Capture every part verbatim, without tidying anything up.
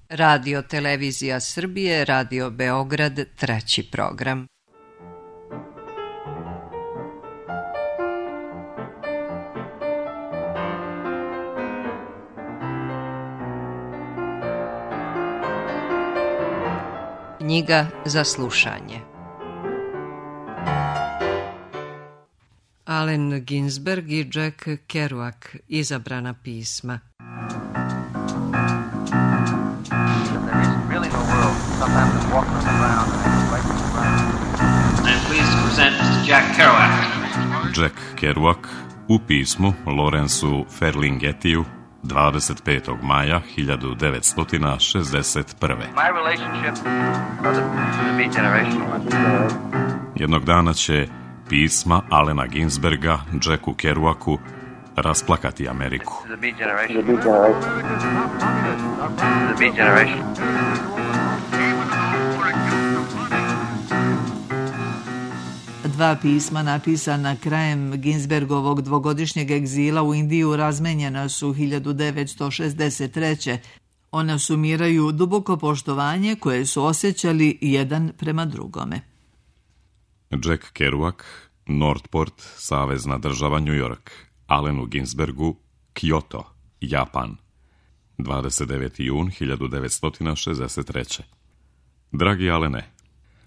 Radio Televizija Srbije, Radio Beograd, treći program. Knjiga za slušanje. Allen Ginsberg i Jack Kerouac, izabrana pisma. Jack Kerouac u pismu Lawrenceu Ferlinghettiju dvadeset petog maja hiljadu devetsto šezdeset prve. Jednog dana će pisma Allena Ginsberga Jacku Kerouacu rasplakati Ameriku. Dva pisma napisana krajem Ginsbergovog dvogodišnjeg egzila u Indiju razmenjena su hiljadu devetsto šezdeset treće. Ona sumiraju duboko poštovanje koje su osjećali jedan prema drugome. Jack Kerouac, Northport, savezna država New York. Allenu Ginsbergu, Kyoto, Japan. dvadeset deveti jun hiljadu devetsto šezdeset treće. Dragi Allene,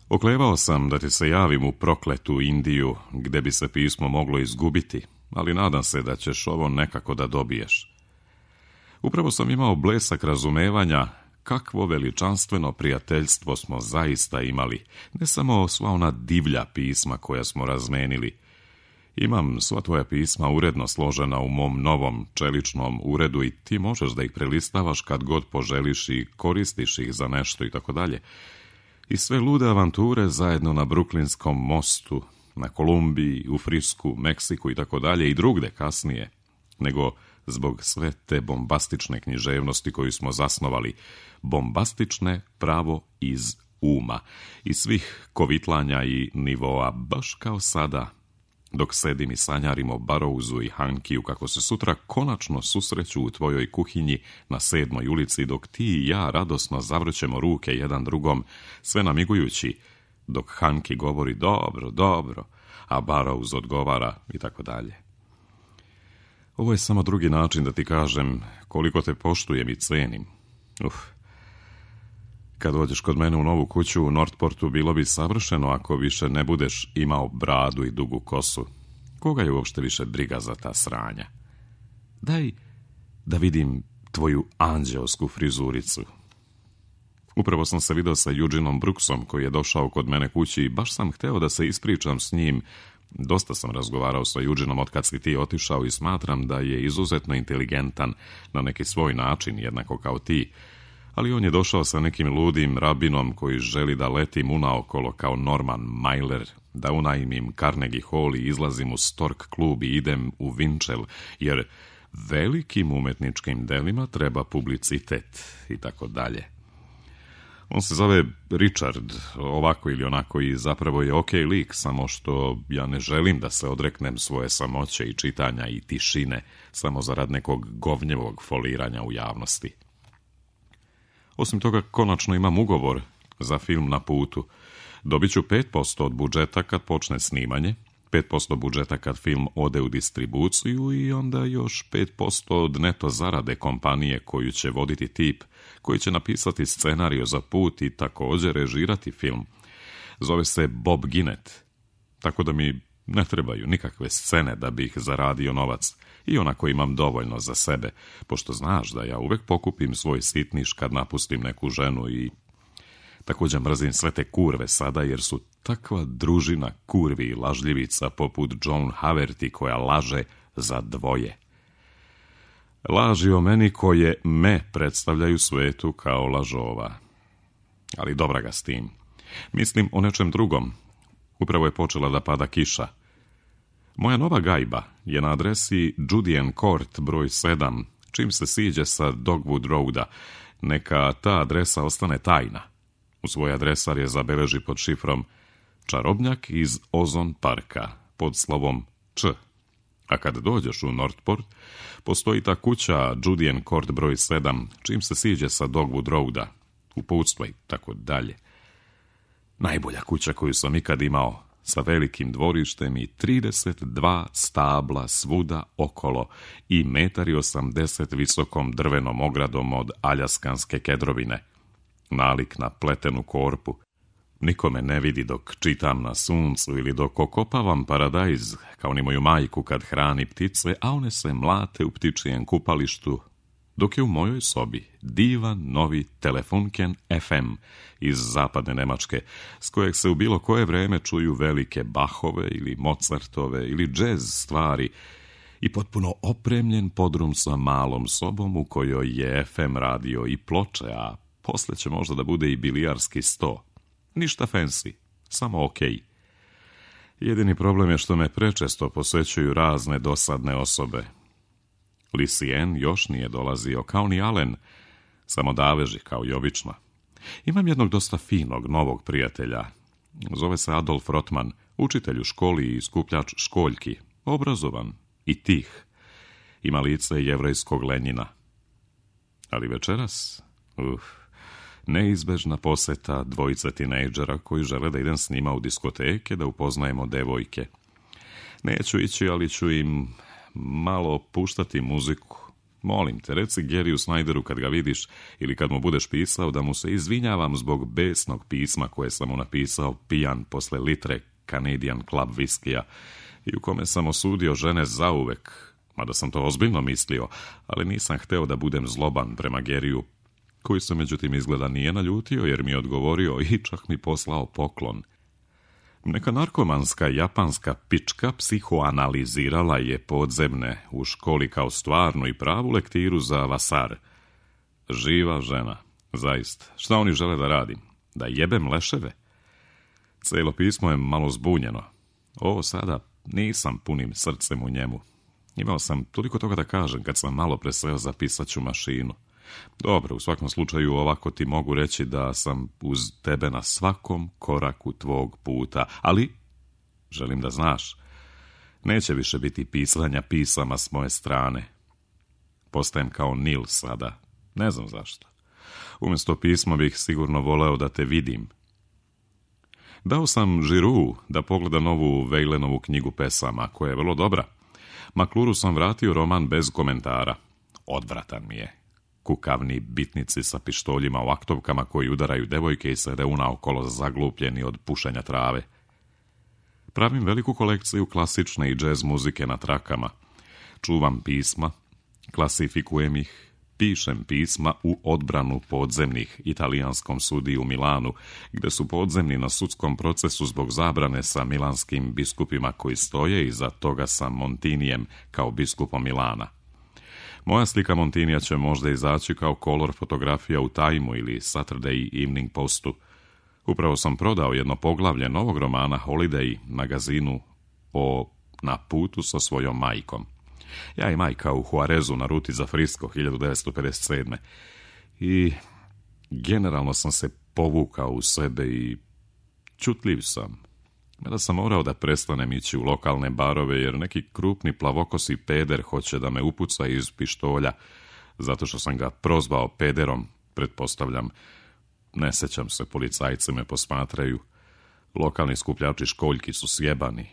oklevao sam da ti se javim u prokletu Indiju, gde bi se pismo moglo izgubiti, ali nadam se da ćeš ovo nekako da dobiješ. Upravo sam imao blesak razumevanja kakvo veličanstveno prijateljstvo smo zaista imali, ne samo sva ona divlja pisma koja smo razmenili. Imam sva tvoja pisma uredno složena u mom novom čeličnom uredu i ti možeš da ih prelistavaš kad god poželiš i koristiš ih za nešto i tako dalje. I sve lude avanture zajedno na Bruklinskom mostu, na Kolumbiji, u Frisku, Meksiku i tako dalje i drugde kasnije, nego zbog sve te bombastične književnosti koju smo zasnovali, bombastične pravo iz uma i svih kovitlanja i nivoa, baš kao sada, dok sedim i sanjarim o Barouzu i Hankiju kako se sutra konačno susreću u tvojoj kuhinji na sedmoj ulici, dok ti i ja radosno zavrćemo ruke jedan drugom, sve namigujući, dok Hanki govori dobro, dobro, a Barouz odgovara i tako dalje. Ovo je samo drugi način da ti kažem koliko te poštujem i cenim. Uf. Kad dođeš kod mene u novu kuću u Northportu, bilo bi savršeno ako više ne budeš imao bradu i dugu kosu. Koga je uopšte više briga za ta sranja? Daj da vidim tvoju anđeosku frizuricu. Upravo sam se video sa Eugeneom Brooksom koji je došao kod mene kući i baš sam hteo da se ispričam s njim. Dosta sam razgovarao sa Eugeneom od kad si ti otišao i smatram da je izuzetno inteligentan na neki svoj način, jednako kao ti. Ali on je došao sa nekim ludim rabinom koji želi da letim unaokolo kao Norman Mailer, da unajmim Carnegie Hall i izlazim u Stork klub i idem u Winchell, jer velikim umetničkim delima treba publicitet i tako dalje. On se zove Richard, ovako ili onako, i zapravo je okej lik, samo što ja ne želim da se odreknem svoje samoće i čitanja i tišine samo zarad nekog govnjevog foliranja u javnosti. Osim toga, konačno imam ugovor za film Na putu. Dobit ću pet posto od budžeta kad počne snimanje, pet posto budžeta kad film ode u distribuciju i onda još pet posto od neto zarade kompanije koju će voditi tip, koji će napisati scenariju za put i također režirati film. Zove se Bob Ginnett, tako da mi ne trebaju nikakve scene da bih zaradio novac. I onako imam dovoljno za sebe, pošto znaš da ja uvek pokupim svoj sitniš kad napustim neku ženu i također mrzim sve te kurve sada jer su takva družina kurvi i lažljivica poput Joan Haverty koja laže za dvoje. Laži o meni koje me predstavljaju svetu kao lažova. Ali dobra ga s tim. Mislim o nečem drugom. Upravo je počela da pada kiša. Moja nova gajba je na adresi Judean Court broj sedam, čim se siđe sa Dogwood Roada. Neka ta adresa ostane tajna. U svoj adresar je zabeleži pod šifrom Čarobnjak iz Ozon parka, pod slovom Č. A kad dođeš u Northport, postoji ta kuća Judean Court broj sedam, čim se siđe sa Dogwood Roada, uputstva i tako dalje. Najbolja kuća koju sam ikad imao, sa velikim dvorištem i trideset dva stabla svuda okolo i metar i osamdeset visokom drvenom ogradom od aljaskanske kedrovine. Nalik na pletenu korpu. Nikome ne vidi dok čitam na suncu ili dok okopavam paradajz, kao ni moju majku kad hrani ptice, a one se mlate u ptičijem kupalištu, dok je u mojoj sobi divan novi Telefunken F M iz zapadne Nemačke, s kojeg se u bilo koje vreme čuju velike Bachove ili Mozartove ili džez stvari, i potpuno opremljen podrum sa malom sobom u kojoj je F M radio i ploče, a posle će možda da bude i bilijarski sto. Ništa fancy, samo okej. Okay. Jedini problem je što me prečesto posećuju razne dosadne osobe. Lisien još nije dolazio, kao ni Alen, samo daveži, kao i obično. Imam jednog dosta finog, novog prijatelja. Zove se Adolf Rotman, učitelj u školi i skupljač školjki, obrazovan i tih. Ima lice jevrejskog Lenjina. Ali večeras, uf, neizbežna poseta dvojice tinejdžera koji žele da idem s njima u diskoteke, da upoznajemo devojke. Neću ići, ali ću im malo puštati muziku. Molim te, reci Geriju Snyderu kad ga vidiš ili kad mu budeš pisao da mu se izvinjavam zbog besnog pisma koje sam mu napisao pijan posle litre Canadian Club viskija i u kome sam osudio žene zauvek, mada sam to ozbiljno mislio, ali nisam hteo da budem zloban prema Geriju, koji se međutim izgleda nije naljutio jer mi je odgovorio i čak mi poslao poklon. Neka narkomanska japanska pička psihoanalizirala je podzemne u školi kao stvarnu i pravu lektiru za vasar. Živa žena, zaista. Šta oni žele da radim? Da jebem leševe? Celo pismo je malo zbunjeno. Ovo sada nisam punim srcem u njemu. Imao sam toliko toga da kažem kad sam malo preseo za pisaću mašinu. Dobro, u svakom slučaju ovako ti mogu reći da sam uz tebe na svakom koraku tvog puta, ali želim da znaš, neće više biti pisanja pisama s moje strane. Postajem kao Nil sada, ne znam zašto. Umjesto pisma bih sigurno voleo da te vidim. Dao sam Žiru da pogleda novu Vejlenovu knjigu pesama, koja je vrlo dobra. Makluru sam vratio roman bez komentara. Odvratan mi je. Kukavni bitnici sa pištoljima u aktovkama koji udaraju devojke i sede unaokolo zaglupljeni od pušenja trave. Pravim veliku kolekciju klasične i džez muzike na trakama. Čuvam pisma, klasifikujem ih, pišem pisma u odbranu podzemnih italijanskom sudiji u Milanu, gde su podzemni na sudskom procesu zbog zabrane sa milanskim biskupima koji stoje iza toga sa Montinijem kao biskupom Milana. Moja slika Montinija će možda izaći kao kolor fotografija u Timeu ili Saturday Evening Postu. Upravo sam prodao jedno poglavlje novog romana Holiday magazinu o Na putu sa svojom majkom. Ja i majka u Juarezu na ruti za Frisco hiljadu devetsto pedeset sedme. I generalno sam se povukao u sebe i čutljiv sam. Mada sam morao da prestanem ići u lokalne barove, jer neki krupni plavokosi peder hoće da me upuca iz pištolja, zato što sam ga prozvao pederom, pretpostavljam. Ne sećam se, policajci me posmatraju. Lokalni skupljači školjki su sjebani.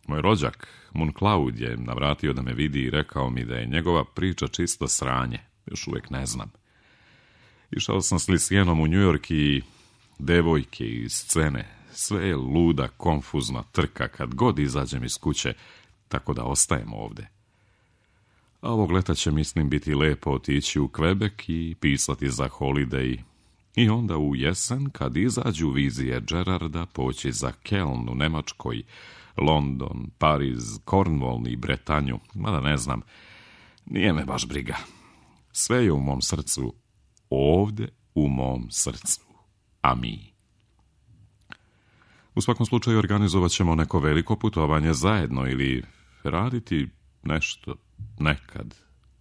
Moj rođak, Mun Klaud, je navratio da me vidi i rekao mi da je njegova priča čisto sranje. Još uvijek ne znam. Išao sam s Lisijenom u New York i devojke iz scene. Sve je luda, konfuzna trka kad god izađem iz kuće, tako da ostajem ovde. A ovog leta će, mislim, biti lepo otići u Quebec i pisati za Holiday. I onda u jesen, kad izađu vizije Gerarda, poći za Keln u Nemačkoj, London, Pariz, Cornwall i Bretanju, mada ne znam, nije me baš briga. Sve je u mom srcu, ovde u mom srcu, a mi. U svakom slučaju organizovat ćemo neko veliko putovanje zajedno ili raditi nešto nekad,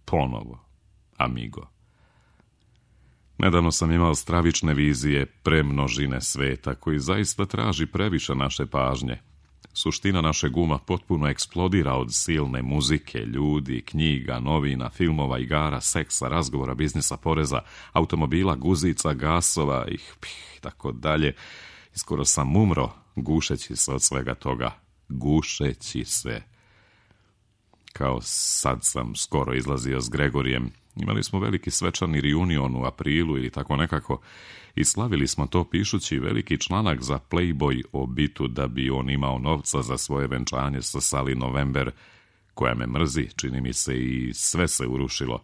ponovo, amigo. Nedavno sam imao stravične vizije premnožine sveta koji zaista traži previše naše pažnje. Suština našeg uma potpuno eksplodira od silne muzike, ljudi, knjiga, novina, filmova, igara, seksa, razgovora, biznisa, poreza, automobila, guzica, gasova i pih, tako dalje. I skoro sam umro, gušeći se od svega toga. Gušeći se. Kao sad sam skoro izlazio s Gregorijem. Imali smo veliki svečani reunion u aprilu ili tako nekako i slavili smo to pišući veliki članak za Playboy o bitu da bi on imao novca za svoje venčanje sa Sally November, koja me mrzi, čini mi se, i sve se urušilo,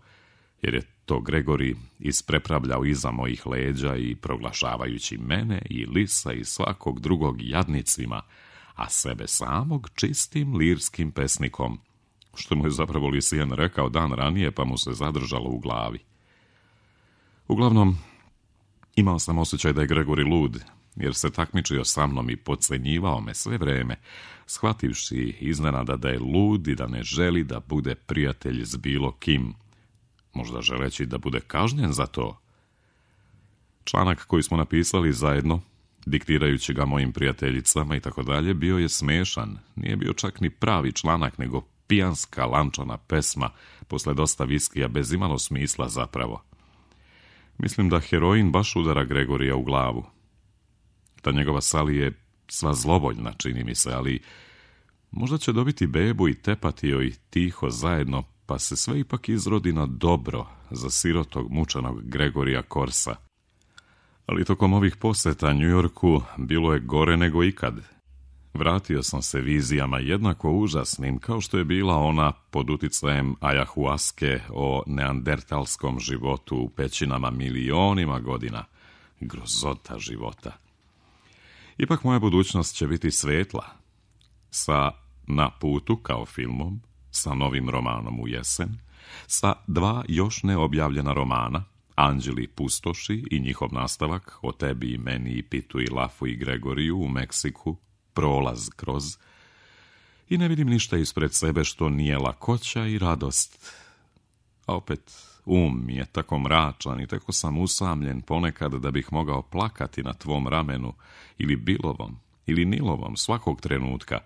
jer je to Gregori isprepravljao iza mojih leđa i proglašavajući mene i Lisa i svakog drugog jadnicima, a sebe samog čistim lirskim pesnikom, što mu je zapravo Lisijan rekao dan ranije, pa mu se zadržalo u glavi. Uglavnom, imao sam osjećaj da je Gregori lud, jer se takmičio sa mnom i podcenjivao me sve vreme, shvativši iznenada da je lud i da ne želi da bude prijatelj s bilo kim, možda želeći da bude kažnjen za to. Članak koji smo napisali zajedno, diktirajući ga mojim prijateljicama i tako dalje, bio je smešan, nije bio čak ni pravi članak, nego pijanska lančana pesma posle dosta viskija bez imalo smisla zapravo. Mislim da heroin baš udara Gregorija u glavu. Ta njegova Sally je sva zlovoljna, čini mi se, ali možda će dobiti bebu i tepati joj tiho zajedno, pa se sve ipak izrodi na dobro za sirotog mučenog Gregorija Korsa. Ali tokom ovih poseta New Yorku bilo je gore nego ikad. Vratio sam se vizijama jednako užasnim kao što je bila ona pod uticajem ajahuaske o neandertalskom životu u pećinama milionima godina. Grozota života. Ipak moja budućnost će biti svetla. Sa Na putu kao filmom, sa novim romanom u jesen, sa dva još neobjavljena romana, Anđeli pustoši i njihov nastavak, o tebi i meni i Pitu i Lafu i Gregoriju u Meksiku, prolaz kroz, i ne vidim ništa ispred sebe što nije lakoća i radost. A opet, um mi je tako mračan i tako sam usamljen ponekad da bih mogao plakati na tvom ramenu, ili Bilovom, ili Nilovom svakog trenutka.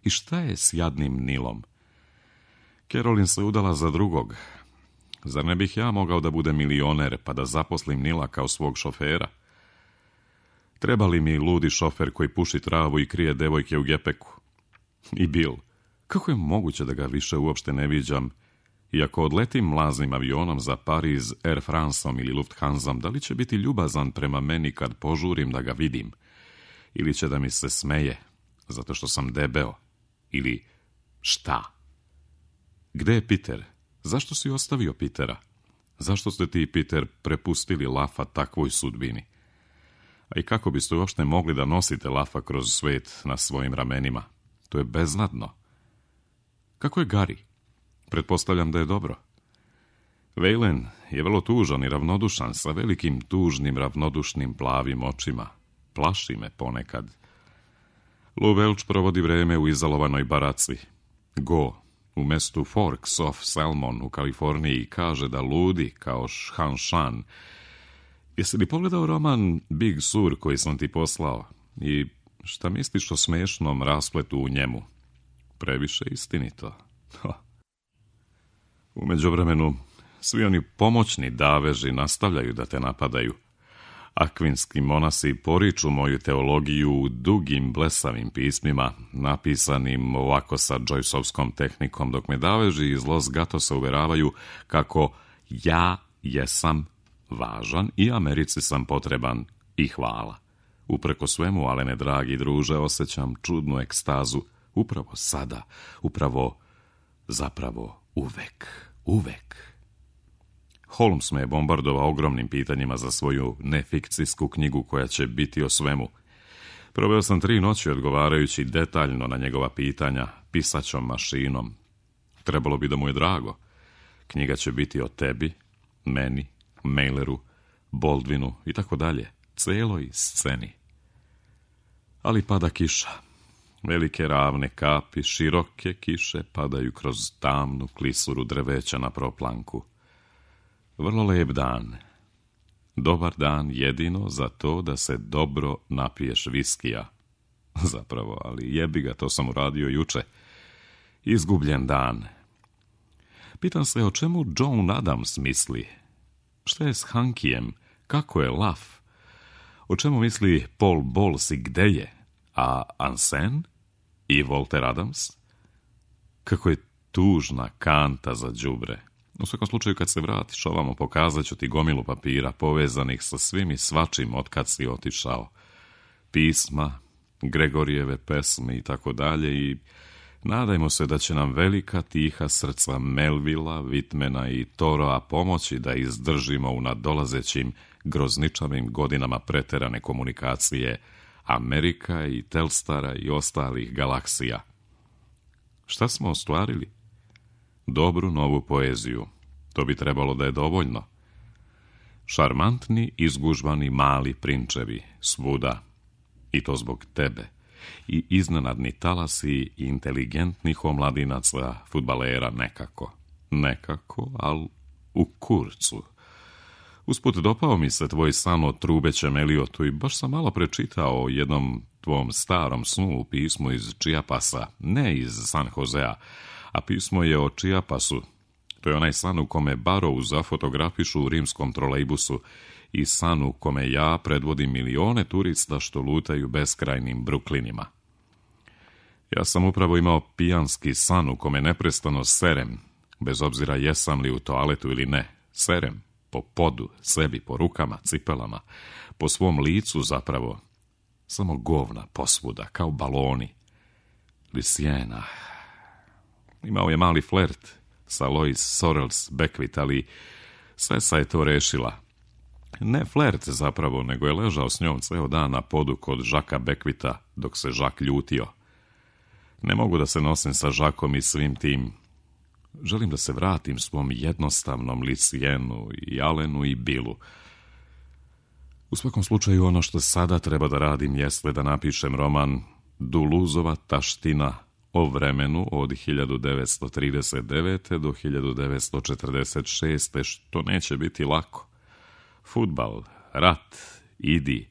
I šta je s jadnim Nilom? Carolyn se udala za drugog. Zar ne bih ja mogao da budem milioner pa da zaposlim Nila kao svog šofera? Treba li mi ludi šofer koji puši travu i krije devojke u gepeku? I Bill, kako je moguće da ga više uopšte ne viđam? I ako odletim mlaznim avionom za Pariz Air Franceom ili Lufthansom, da li će biti ljubazan prema meni kad požurim da ga vidim? Ili će da mi se smeje, zato što sam debeo? Ili šta? Gde je Peter? Zašto si ostavio Petera? Zašto ste ti, Peter, prepustili Lafa takvoj sudbini? A i kako biste uopšte mogli da nosite Lafa kroz svet na svojim ramenima? To je beznadno. Kako je Gary? Pretpostavljam da je dobro. Waylon je vrlo tužan i ravnodušan, sa velikim tužnim ravnodušnim plavim očima. Plaši me ponekad. Lou Welch provodi vreme u izolovanoj baraci. Go, u mestu Forks of Salmon u Kaliforniji, kaže da ludi kao Han Shan. Jesi li pogledao roman Big Sur koji sam ti poslao? I šta misliš o smešnom raspletu u njemu? Previše istinito. U međuvremenu, svi oni pomoćni daveži nastavljaju da te napadaju. Akvinski monasi poriču moju teologiju u dugim, blesavim pismima, napisanim ovako sa Joyceovskom tehnikom, dok me daveži iz Los Gatosa uveravaju kako ja jesam važan i Americi sam potreban i hvala. Upreko svemu, Alene, dragi druže, osjećam čudnu ekstazu upravo sada, upravo, zapravo, uvek, uvek. Holmes me je bombardovao ogromnim pitanjima za svoju nefikcijsku knjigu koja će biti o svemu. Proveo sam tri noći odgovarajući detaljno na njegova pitanja pisaćom mašinom. Trebalo bi da mu je drago. Knjiga će biti o tebi, meni, Maileru, Baldwinu i tako dalje, celoj sceni. Ali pada kiša. Velike ravne kapi, široke kiše padaju kroz tamnu klisuru drveća na proplanku. Vrlo lep dan. Dobar dan jedino za to da se dobro napiješ viskija. Zapravo, ali jebi ga, to sam uradio juče. Izgubljen dan. Pitam se o čemu John Adams misli. Šta je s Hankijem? Kako je Laf? O čemu misli Paul Bowles i gde je? A Ansen? I Walter Adams? Kako je tužna kanta za đubre. U svakom slučaju, kad se vratiš ovamo, pokazat ću ti gomilu papira povezanih sa svim i svačim od kad si otišao. Pisma, Gregorijeve pesme i tako dalje i nadajmo se da će nam velika tiha srca Melvilla, Whitmana i Thoreaua pomoći da izdržimo u nadolazećim grozničavim godinama preterane komunikacije Amerika i Telstara i ostalih galaksija. Šta smo ostvarili? Dobru novu poeziju. To bi trebalo da je dovoljno. Šarmantni, izgužvani mali prinčevi, svuda. I to zbog tebe. I iznenadni talasi inteligentnih omladinaca, fudbalera nekako. Nekako, al u kurcu. Usput dopao mi se tvoj san o trubećem Eliotu i baš sam malo prečitao o jednom tvom starom snu u pismu iz Chiapasa, ne iz San Josea, a pismo je o Chiapasu. To je onaj san u kome Barrow zafotografišu u rimskom trolejbusu i san u kome ja predvodim milione turista što lutaju beskrajnim Brooklynima. Ja sam upravo imao pijanski san u kome neprestano serem, bez obzira jesam li u toaletu ili ne, serem, po podu, sebi, po rukama, cipelama, po svom licu zapravo, samo govna posvuda, kao baloni. Lisijena. Imao je mali flert sa Lois Sorrells Beckwith, ali Sesa je to rešila. Ne flert zapravo, nego je ležao s njom ceo dan na podu kod Žaka Beckwitha, dok se Žak ljutio. Ne mogu da se nosim sa Žakom i svim tim. Želim da se vratim svom jednostavnom Lisijenu i Alenu i Billu. U svakom slučaju, ono što sada treba da radim jeste da napišem roman Duluzova taština o vremenu od hiljadu devetsto trideset devete. do hiljadu devetsto četrdeset šeste. što neće biti lako. Fudbal, rat, idi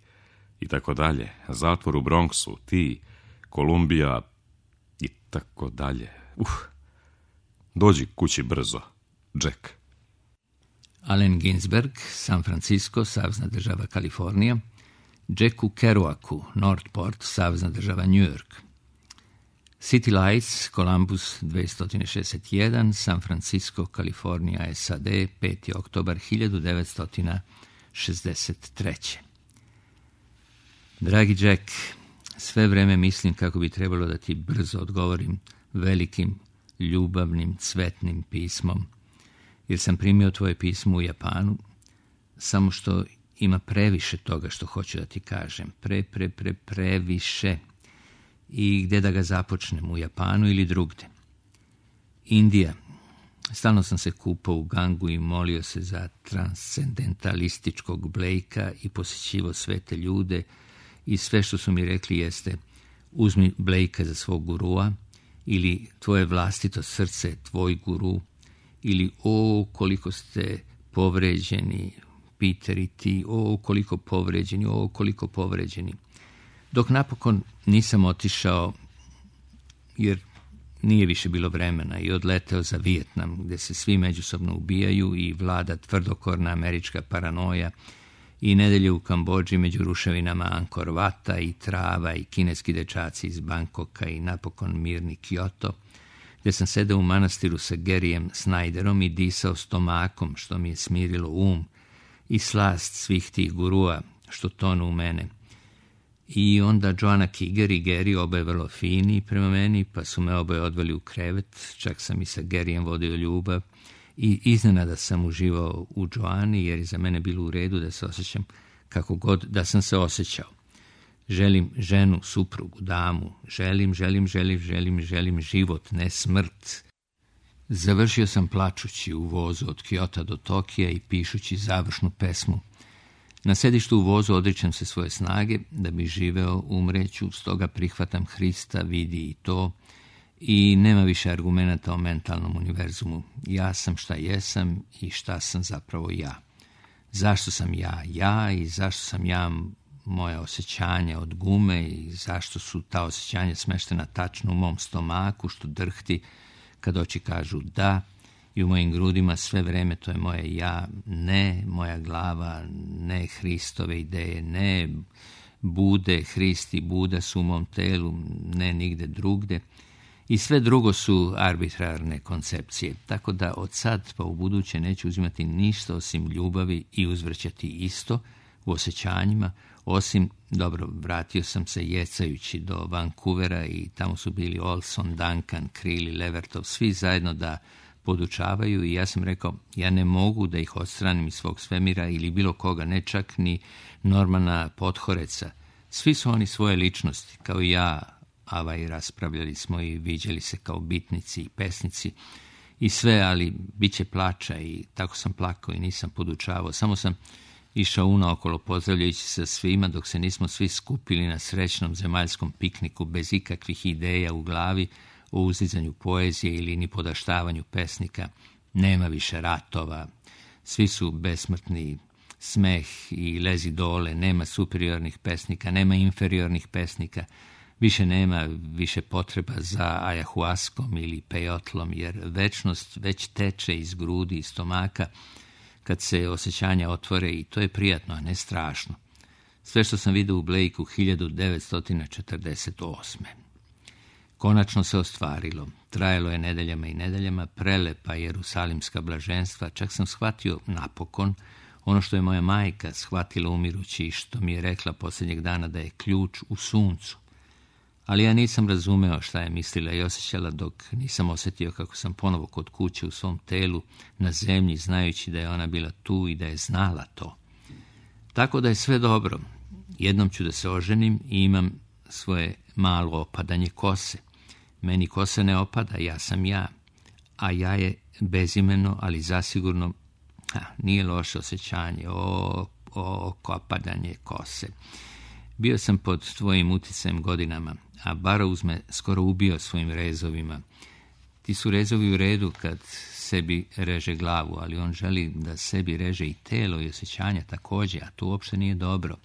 i tako dalje. Zatvor u Bronxu, ti, Kolumbija i tako dalje. Uh, dođi kući brzo, Jack. Allen Ginsberg, San Francisco, savezna država Kalifornija. Jacku Kerouacu, Northport, savezna država New York. City Lights, Columbus dvesta šezdeset jedan, San Francisco, Kalifornija, S A D, peti oktobar hiljadu devetsto šezdeset treće. Dragi Jack, sve vreme mislim kako bi trebalo da ti brzo odgovorim velikim, ljubavnim, cvetnim pismom, jer sam primio tvoje pismo u Japanu, samo što ima previše toga što hoću da ti kažem. Pre, pre, pre, previše. I gde da ga započnem, u Japanu ili drugde. Indija. Stalno sam se kupao u Gangu i molio se za transcendentalističkog Blakea i posjećivo sve te ljude i sve što su mi rekli jeste uzmi Blakea za svog gurua ili tvoje vlastito srce, tvoj guru ili o koliko ste povređeni, Peter i ti, o koliko povređeni, o koliko povređeni. Dok napokon nisam otišao, jer nije više bilo vremena, i odleteo za Vijetnam, gde se svi međusobno ubijaju i vlada tvrdokorna američka paranoja, i nedelje u Kambodži među ruševinama Angkor Vata i trava i kineski dečaci iz Bankoka i napokon mirni Kyoto, gde sam sedeo u manastiru sa Garyjem Snyderom i disao stomakom, što mi je smirilo um, i slast svih tih gurua što tonu u mene. I onda Joanna Kiger i Gary, oboje vrlo fini prema meni, pa su me oboje odveli u krevet, čak sam i sa Garyjem vodio ljubav i iznenada sam uživao u Joani, jer je za mene bilo u redu da se osjećam kako god da sam se osjećao. Želim ženu, suprugu, damu, želim, želim, želim, želim, želim život, ne smrt. Završio sam plačući u vozu od Kyoto do Tokija i pišući završnu pesmu. Na sedištu u vozu odričem se svoje snage, da bi živeo, umreću, stoga prihvatam Hrista, vidi i to, i nema više argumenata o mentalnom univerzumu. Ja sam šta jesam i šta sam zapravo ja. Zašto sam ja ja i zašto sam ja moja osjećanja od gume i zašto su ta osjećanja smeštena tačno u mom stomaku, što drhti kad oči kažu da, i u mojim grudima sve vreme to je moje ja, ne moja glava, ne Hristove ideje, ne Bude, Hrist i Buda su u mom telu, ne nigde drugde. I sve drugo su arbitrarne koncepcije, tako da od sad pa u buduće neću uzimati ništa osim ljubavi i uzvrćati isto u osjećanjima, osim, dobro, vratio sam se jecajući do Vancouvera i tamo su bili Olson, Duncan, Krill i Levertov, svi zajedno da podučavaju i ja sam rekao, ja ne mogu da ih odstranim iz svog svemira ili bilo koga, ne čak ni Normana Podhoreca. Svi su oni svoje ličnosti, kao i ja, Ava, i raspravljali smo i viđali se kao bitnici i pesnici i sve, ali bit će plača i tako sam plakao i nisam podučavao. Samo sam išao unaokolo pozdravljajući sa svima dok se nismo svi skupili na srećnom zemaljskom pikniku bez ikakvih ideja u glavi o uzdizanju poezije ili ni podaštavanju pesnika. Nema više ratova, svi su besmrtni, smeh i lezi dole, nema superiornih pesnika, nema inferiornih pesnika, više nema više potreba za ajahuaskom ili pejotlom, jer večnost već teče iz grudi i stomaka kad se osjećanja otvore i to je prijatno, a ne strašno. Sve što sam vidio u Blakeu hiljadu devetsto četrdeset osme. Konačno se ostvarilo. Trajalo je nedeljama i nedeljama, prelepa jerusalimska blaženstva, čak sam shvatio napokon ono što je moja majka shvatila umirući i što mi je rekla posljednjeg dana da je ključ u suncu. Ali ja nisam razumeo šta je mislila i osjećala dok nisam osjetio kako sam ponovo kod kuće u svom telu na zemlji, znajući da je ona bila tu i da je znala to. Tako da je sve dobro. Jednom ću da se oženim i imam svoje malo opadanje kose. Meni kosa ne opada, ja sam ja, a ja je bezimeno, ali zasigurno ha, nije loše osjećanje, o, o, opadanje kose. Bio sam pod tvojim uticajem godinama, a Burroughs me skoro ubio svojim rezovima. Ti su rezovi u redu kad sebi reže glavu, ali on želi da sebi reže i telo i osjećanja također, a to uopšte nije dobro.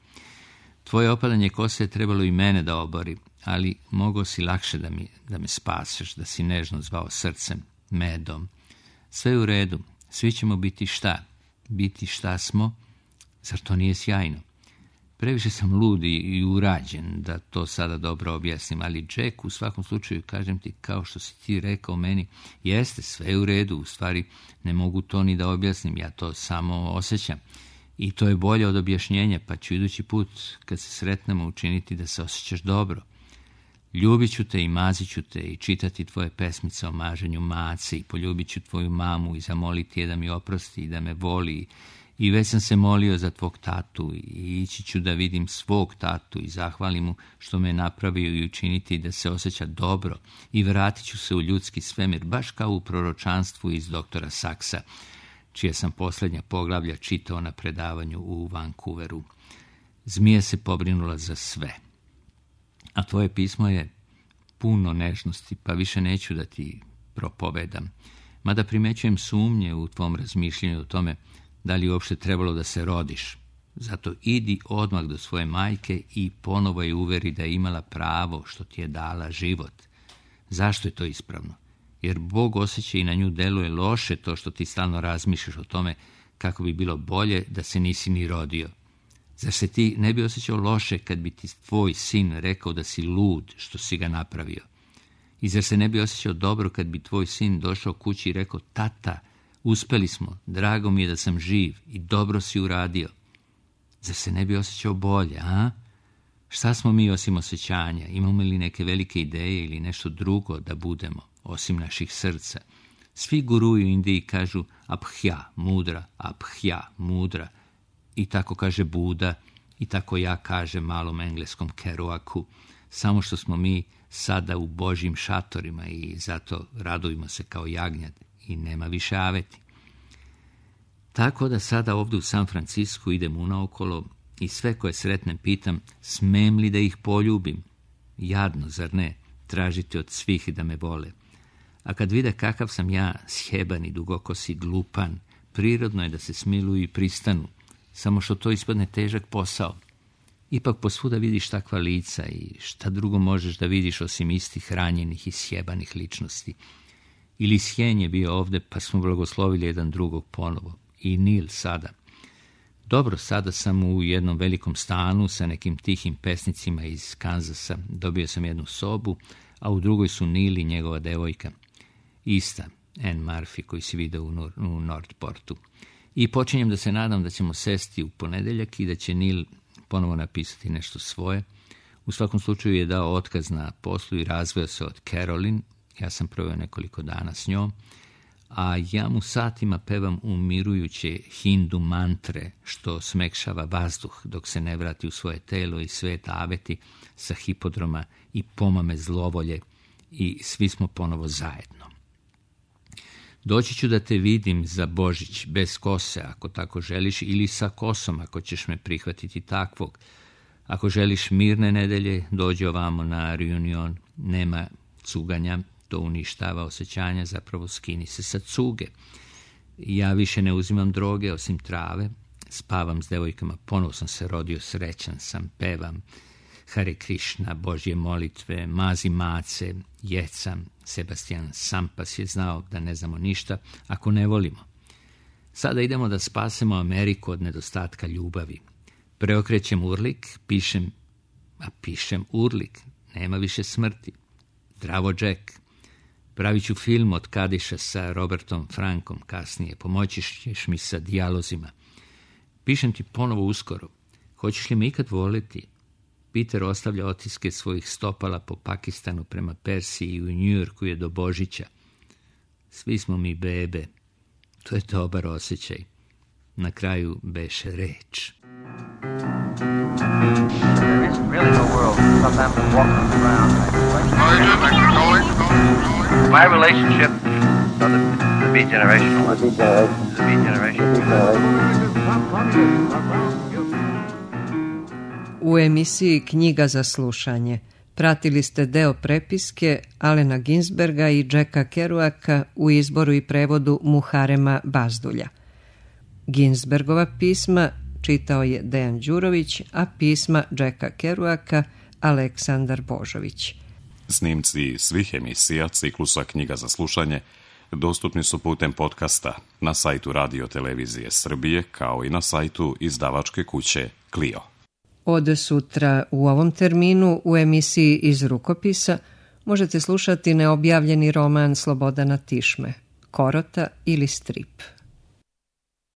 Tvoje opadanje kose je trebalo i mene da obori, ali mogao si lakše da, mi, da me spaseš, da si nežno zvao srcem, medom. Sve u redu, svi ćemo biti šta? Biti šta smo? Zar to nije sjajno? Previše sam lud i urađen da to sada dobro objasnim, ali Jack, u svakom slučaju, kažem ti, kao što si ti rekao meni, jeste sve u redu, u stvari ne mogu to ni da objasnim, ja to samo osjećam. I to je bolje od objašnjenja, pa ću idući put, kad se sretnemo, učiniti da se osjećaš dobro. Ljubit ću te i mazit ću te i čitati tvoje pesmice o maženju mace i poljubit ću tvoju mamu i zamoliti je da mi oprosti i da me voli. I već sam se molio za tvog tatu i ići ću da vidim svog tatu i zahvalim mu što me je napravio i učiniti da se osjeća dobro i vratit ću se u ljudski svemir, baš kao u proročanstvu iz doktora Saksa, čija sam posljednja poglavlja čitao na predavanju u Vancouveru. Zmija se pobrinula za sve. A tvoje pismo je puno nežnosti, pa više neću da ti propovedam. Mada primećujem sumnje u tvom razmišljanju o tome da li uopšte trebalo da se rodiš. Zato idi odmah do svoje majke i ponovo je uveri da je imala pravo što ti je dala život. Zašto je to ispravno? Jer Bog osjeća i na nju deluje loše to što ti stalno razmišljaš o tome kako bi bilo bolje da se nisi ni rodio. Zar se ti ne bi osjećao loše kad bi ti tvoj sin rekao da si lud što si ga napravio? I zar se ne bi osjećao dobro kad bi tvoj sin došao kući i rekao, tata, uspeli smo, drago mi je da sam živ i dobro si uradio? Zar se ne bi osjećao bolje, a? Šta smo mi osim osjećanja? Imamo li neke velike ideje ili nešto drugo da budemo, osim naših srca? Svi guruji u Indiji kažu abhja, mudra, abhja, mudra. I tako kaže Buda, i tako ja kažem malom engleskom Kerouacu, samo što smo mi sada u Božjim šatorima i zato radujemo se kao jagnjad i nema više aveti. Tako da sada ovdje u San Francisku idem unaokolo i sve koje sretnem pitam, smem li da ih poljubim? Jadno, zar ne, tražiti od svih da me vole. A kad vide kakav sam ja sjeban i dugokosi glupan, prirodno je da se smiluju i pristanu, samo što to ispadne težak posao. Ipak posvuda vidiš takva lica i šta drugo možeš da vidiš osim istih ranjenih i sjebanih ličnosti. I Lisjen je bio ovde, pa smo blagoslovili jedan drugog ponovo. I Nil sada. Dobro, sada sam u jednom velikom stanu sa nekim tihim pesnicima iz Kanzasa. Dobio sam jednu sobu, a u drugoj su Nil i njegova devojka. Ista, Anne Murphy, koju si video u, Nor- u Nordportu. I počinjem da se nadam da ćemo sesti u ponedeljak i da će Nil ponovo napisati nešto svoje. U svakom slučaju je dao otkaz na poslu i razveo se od Caroline. Ja sam proveo nekoliko dana s njom, a ja mu satima pevam umirujuće hindu mantre, što smekšava vazduh dok se ne vrati u svoje telo i svet aveti sa hipodroma i pomame zlovolje i svi smo ponovo zajedno. Doći ću da te vidim za Božić bez kose, ako tako želiš, ili sa kosom, ako ćeš me prihvatiti takvog. Ako želiš mirne nedelje, dođi ovamo na reunion, nema cuganja, to uništava osjećanja, zapravo skini se sa cuge. Ja više ne uzimam droge osim trave, spavam s devojkama, ponovo sam se rodio, srećan sam, pevam Hare Krishna, Božje molitve, mazi mace, jecam. Sebastian Sampas je znao da ne znamo ništa ako ne volimo. Sada idemo da spasemo Ameriku od nedostatka ljubavi. Preokrećem urlik, pišem, a pišem urlik, nema više smrti. Zdravo, Jack. Pravit ću film od Kadiša sa Robertom Frankom kasnije. Pomoći ćeš mi sa dijalozima. Pišem ti ponovo uskoro. Hoćeš li me ikad voliti? Peter ostavlja otiske svojih stopala po Pakistanu prema Persiji i u Njujorku je do Božića. Svi smo mi bebe. To je dobar osjećaj. Na kraju beše reč. Really no world. Sometimes I'm walking around. My relationship, so the, the beat generational. The beat generation. U emisiji Knjiga za slušanje pratili ste deo prepiske Alena Ginsberga i Jacka Kerouaka u izboru i prevodu Muharema Bazdulja. Ginsbergova pisma čitao je Dejan Đurović, a pisma Jacka Kerouaka Aleksandar Božović. Snimci svih emisija ciklusa Knjiga za slušanje dostupni su putem podcasta na sajtu Radio Televizije Srbije, kao i na sajtu izdavačke kuće Clio. Od sutra u ovom terminu u emisiji Iz rukopisa možete slušati neobjavljeni roman Slobodana Tišme, Korota ili strip.